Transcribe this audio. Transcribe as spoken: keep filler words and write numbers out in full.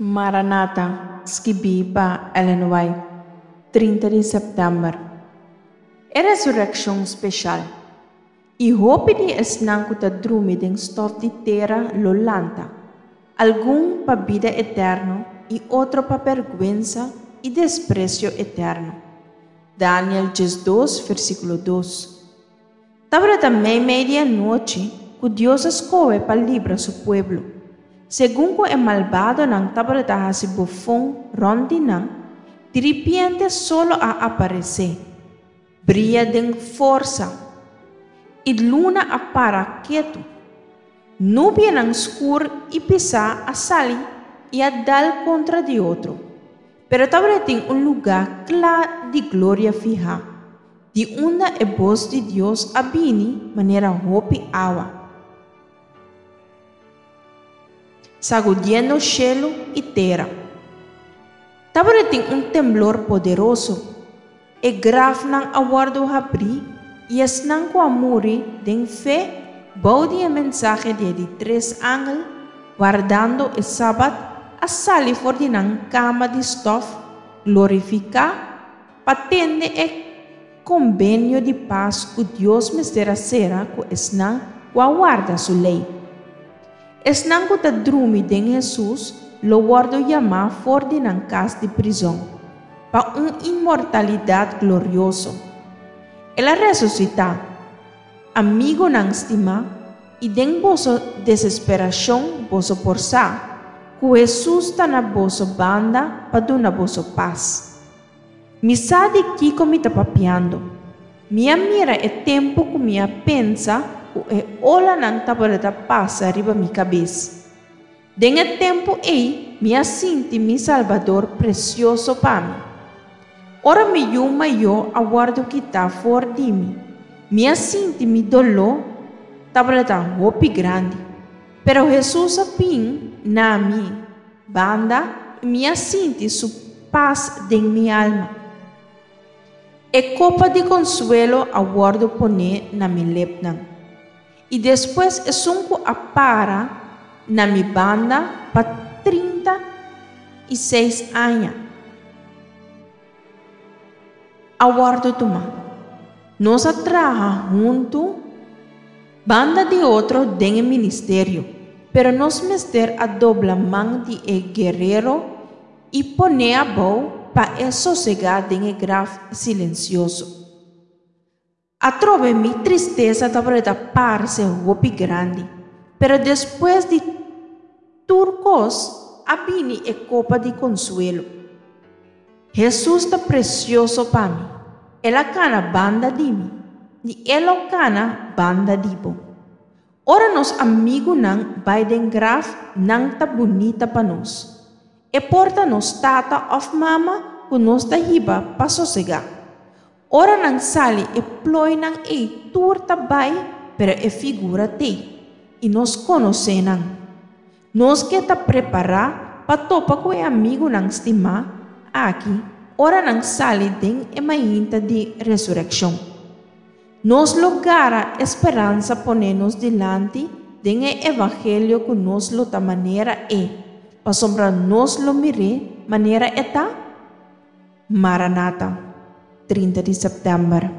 Maranata, skibí pa Ellen White, trinta di sèptèmber. E resurekshon speshal. I hopi di esnan ku ta drumi den stòf di tera lo lanta, algun pa bida eterno i otro pa bèrgwensa i despresio eterno. Daniel diesdos, versíkulo dos. Tabata meimei di anochi ku Dios a skohe pa libra su pueblo. Segun ku e malbadonan tabata hasi bofon rònt di nan, diripiente solo a aparesé, bria den forsa, i luna a para ketu. Nubianan skur i pisá a sali i a dal kontra di otro, pero tabatin un lugá kla di gloria fihá, di unda e bos di Dios a bini manera hopi awa, sagudiendo shelu i tera. Tabatin un temblor poderoso. E grafnan a wòrdu habrí i esnan ku a muri den fe bou di e mensahe di e di tres angel, wardando e sabat, a sali for di nan kama di stòf glorifiká pa tende e kombenio di pas ku Dios mester a sera ku esnan ku a warda su lei. Esnan ku ta drumi den Hesus lo wòrdu yamá for di nan kas di prizòn, pa un inmortalidat glorioso. El a resusitá, amigunan stimá, i den boso desesperashon boso por sa ku Hesus ta na boso banda pa duna boso pas. Mi sa di kiko mi ta papiando. Mi a mira e tempu ku mi a pensa ku e olanan tabata pasa riba mi kabes. Den e tempu ei mi a sinti mi Salbador presioso pa mi. Ora mi yu mayó a wòrdu kitá for di mi, mi a sinti mi doló tabata hopi grandi. Pero Hesus a bin na mi banda i mi a sinti su pas den mi alma. E kopa di konsuelo a wòrdu poné na mi lepnan. I despues esun ku a para na mi banda pa trinta i seis aña a wòrdu tumá. Nos a traha huntu banda di otro den e ministerio, pero nos mester a dobla man di e guerero i pon'é abou pa e sosegá den e graf silensioso. Atrobe mi tristesa tabata parse hopi grandi, pero despues di tur kos a bini e kopa di konsuelo. Hesus ta presioso pa mi. El a kana banda di mi, i E lo kana banda di bo. Ora nos amigunan bai den graf, nan ta bunita pa nos. E por ta nos tata òf mama ku nos ta hiba pa sosegá. Ora nan sali e plooinan ei tur ta bai, pero e figura t'ei, i nos konosé nan. Nos ke ta prepará pa topa ku e amigunan stimá aki ora nan sali den e mainta di resurekshon. Nos lo gara e speransa poné nos dilanti den e evangelio ku nos lo ta manera E, pasobra nos lo mir'é manera E ta? Maranata, trinta di sèptèmber.